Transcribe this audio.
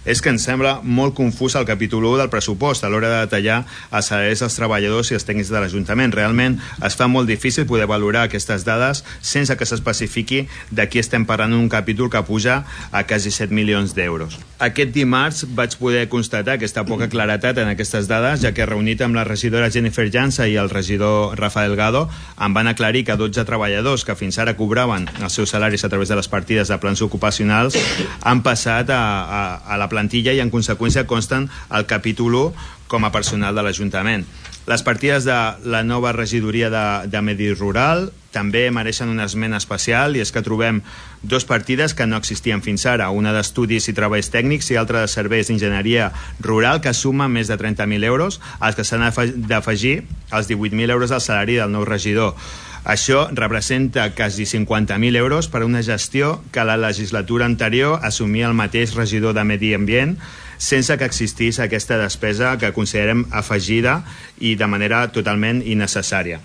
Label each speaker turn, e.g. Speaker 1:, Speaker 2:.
Speaker 1: és que ens sembla molt confús el capítol 1 del pressupost a l'hora de detallar els salaris dels treballadors i els tècnics de l'Ajuntament. Realment es fa molt difícil poder valorar aquestes dades sense que s'especifiqui de qui estem parlant en un capítol que puja a quasi 7 milions d'euros. Aquest dimarts vaig poder constatar aquesta poca claretat en aquestes dades, ja que reunit amb la regidora Jennifer Jansa i el regidor Rafa Delgado em van aclarir que 12 treballadors que fins ara cobraven els seus salaris a través de les partides de plans ocupacionals han passat a la plantilla i en conseqüència consten al capítol 1 com a personal de l'Ajuntament. Les partides de la nova regidoria de Medi Rural també mereixen una esmena especial, i és que trobem dues partides que no existien fins ara, una d'estudis i treballs tècnics i altra de serveis d'enginyeria rural, que suma més de 30.000 euros, als que s'han d'afegir els 18.000 euros del salari del nou regidor. Això representa quasi 50.000 euros per a una gestió que la legislatura anterior assumia el mateix regidor de Medi Ambient, sense que existís aquesta despesa que considerem afegida i de manera totalment innecessària.